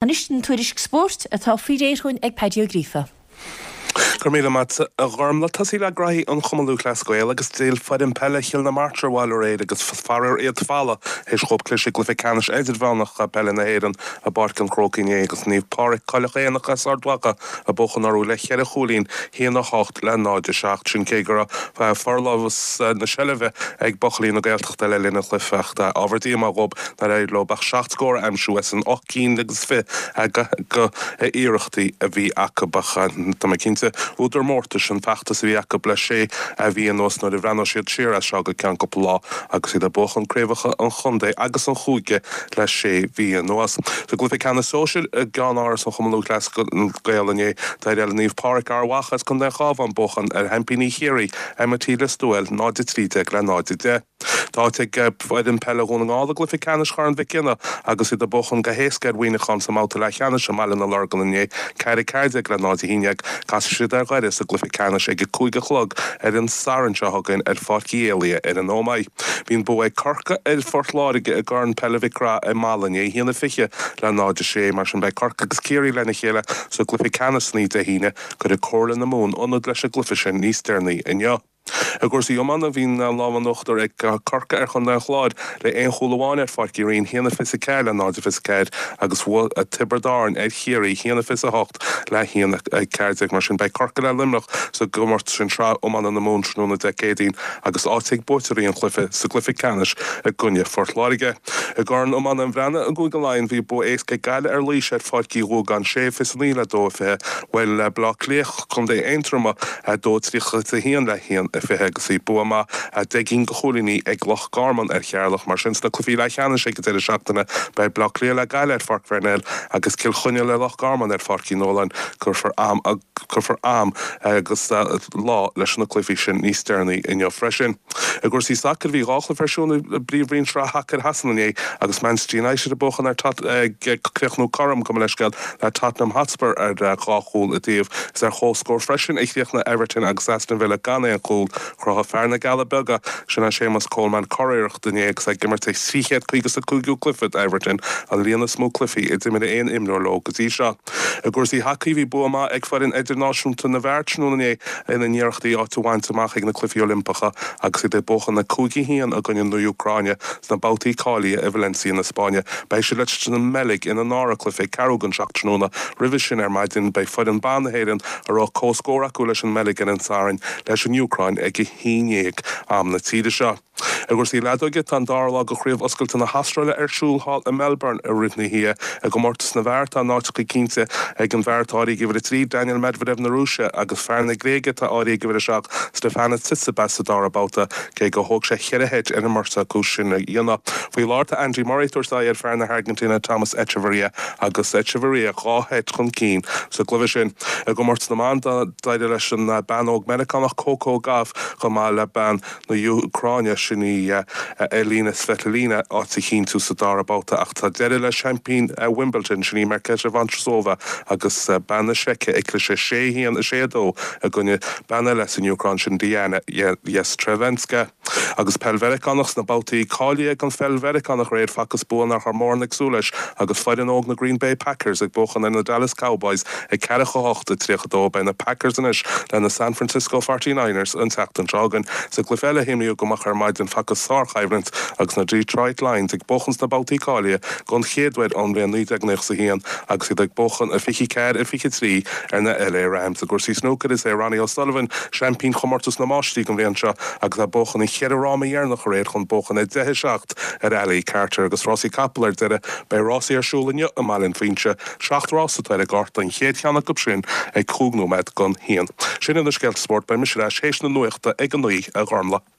Anois an tuairisc spóirt atá faoi réir chugainn ag Paddy Ó Gríofa. Go raibh míle maith agat a Ghormlaith. Tosaí le graithí an Chumann Lúthchleas Gael agus d'fhill foireann peile Chill na Martra abhaile aréir agus faraor iad folamh théis dhóibh cliseadh i gcluiche ceannais idirmheánach peile na hÉireann i bPáirc an Chrócaigh inné agus Naomh Pádraig Coileach Éanach as Ard Mhacha ag buachan orthu le cheithre chúilín, 1-8 le 0-7. Sin cé go raibh forlámhas na seilbhe ag buachaillí na Gaeltachta le linn an chluiche ach ábhar díomá dhóibh nár éirigh leo ach seacht scór a aimsiú as an ocht gcinn agus 20 d'iarrachtaí a bhí acu. Ach tá mé cinnte, údar mórtais an feachtas a bhí acu le sé mhí anuas nuair a bhreathnóidh siad siar as seo go ceann cúpla lá agus iad ag buachan craobhacha an chontae agus an chúige le sé mhí anuas. Sa gcluiche ceannais sóisir i gceannáras an Chumann Lúthchleas Gael inné, d'éirigh le Naomh Pádraig Ard Mhacha as Contae an Chabháin buachan ar sheaimpíní Chiarraí, MIT Lios Tuathail, 0-13 le 0-10. Tá áit ag foireann peile Dhún na nGall i gcluiche ceannais Chorn Mhic Cionnaith agus iad ag buachan go héasca ar Mhuineachán sa mbabhta leathcheannais i mBaile na Lorgan inné, 4 14 le 0 11. Casfaidh siad ar Dhoire sa gcluiche ceannais ag 5 a chlog ar an Satharn seo chugainn ar Pháirc Uí Éalaithe ar an Ómaigh. Bhí an bua ag Corcaigh ar Phort Láirge i gCorn Peile Mhic Craith i Mala inné, 1-20 le 0-6. Mar sin beidh Corcaigh agus Ciarraí lena chéile sa gcluiche ceannais san oíche Dé hAoine. Cuirfidh Comhairle na Mumhan ionad leis an gcluiche sin níos deireanaí inniu. I gcúrsaí iomána, bhí an lámh in uachtar ag Corcaigh ar chontae an Chláir le aon chúl amháin ar Pháirc Uí Rinn, 1-24 le 0-24, agus bhuaigh Tiobraid Árann ar Chiarraí, 1-28 le 1-14. Mar sin, beidh Corcaigh le Luimneach sa gcomórtas sin Sraith Iomána na Mumhan tráthnóna Dé Céadaoin agus áit ag buaiteoirí an chluiche sa gcluiche ceannais i gcoinne Phort Láirge. I gCorn Iomána an Bhreathnaigh i gCúige Laighean, bhí bua éasca ag Gaillimh ar Laois ar Pháirc Uí Ghuagáin, 6-29 le 2-20. Bhuail Baile Átha Cliath Contae Aontroma, 2-31 le 1-20 agus bhí bua maith 10 gcinn de chúilíní ag Loch Garman ar Cheatharlach. Mar sin, sna cluichí leathcheannais ag an deireadh seachtaine, beidh Baile Átha Cliath le Gaillimh ar Pháirc Pharnell agus Cill Chainnigh le Loch Garman ar Pháirc Uí Nualláin. Cuirfear am cuirfear am agus lá leis na cluichí sin níos deireanaí inniu freisin. I gcúrsaí sacair, bhí dhá chluiche ar siúl i bPríomhroinn Sraith Shacair Shasana inné agus Manchester United ag buachan ar ag críochnú cothrom, gabh mo leithscéal, le Tottenham Hotspur ar dhá chúl an taobh. Is ar chomhscór freisin a chríochnaigh Everton agus Aston Villa gan aon chúl. Chruthaigh fear na gCealla Beaga, sin é Séamus Coleman, curiarracht inné agus é ag imirt a 355ú cluiche d'Everton, an líon is mó cluichí a d'imir aon imreoir leo go dtí seo. I gcúrsaí hacaí, bhí bua maith ag foireann idirnáisiúnta na bhfear tráthnóna inné ina n-iarrachtaí áit a bhaint amach ag na Cluichí Oilimpeacha agus iad ag buachan 5-1 i gcoinne na Úcráine sna babhtaí cáilithe i Valencia na Spáinne. Beidh siad leis an mBeilg ina ndara cluiche ag ceathrú don seacht tráthnóna. Roimhe sin ar maidin beidh foireann ban na hÉireann, a raibh comhscór acu leis an mBeilg ar an Satharn, leis an Úcráin ag 11 am na tíre seo. I gcúrsaí leadóige, tá an dara lá de Chraobh Oscailte na hAstráile ar siúl thall i Melbourne i rith na hoíche. I gcomórtas na bhfear, tá a n-áiteacha cinnte ag an bhfear atá áirithe ag uimhir 3, Daniil Medvedev na Rúise, agus fear na Gréige atá áirithe ag uimhir 7, Stefanos Tsitsipas sa dara babhta, cé gur thóg sé cheithre sheit ar an mbeirt acu sin a dhéanamh. Faoi láthair tá Andy Murray ag tabhairt aghaidh ar fear na hAirgintíne Tomas Echeverria agus Echeverria dhá sheit chun cinn sa gcluiche sin. I gcomórtas na mban, d'éirigh leis an bean óg Meiriceánach Coco Gauff chomh maith le bean na hÚcráine, sin í Elina Svitolina, áit a chinntiú sa dara babhta ach tá deireadh le seaimpín Wimbledon, sin í Marketa Vondrousova agus bean na Seice ag cliseadh 6-1, 6-2 i gcoinne bean eile as an Úcráin, sin Dayana Yastremska. Agus peil Mheiriceánach sna babhtaí cáilithe don pheil Mheiriceánach aréir facthas bua nach raibh mórán ag súil leis agus foireann óg na Green Bay Packers ag buachan ar na Dallas Cowboys ag ceathracha 8 a 32. Beidh na Packers anois le na San Francisco Forty Niners an tseachtain seo chugainn. Sa gcluiche eile a himríodh go moch ar maidin facthas sárchoimhlint agus na Detroit Lions ag buachan sna babhtaí cáilithe don chéad uair ón mbliain 1991 agus iad ag buachan 24 a 23 ar na LA Rams. I gcúrsaí snúcair is é Ronnie O'Sullivan seaimpín chomórtas na Máistrí don bhliain seo agus é ag buachan an cheithre fhráma dheireanach aréir chun buachan 10 7 ar Ali Carter. Agus rásaí capall ar deireadh beidh rásaí ar siúl inniu i mBaile an Phuinse. Seacht rás atá ar an gcárta, an chéad cheann acu sin ag cúig nóiméad don haon. Sin iad na scéalta spóirt, beidh mise ar ais théis na nuachta ag a naoi, a Ghormlaith.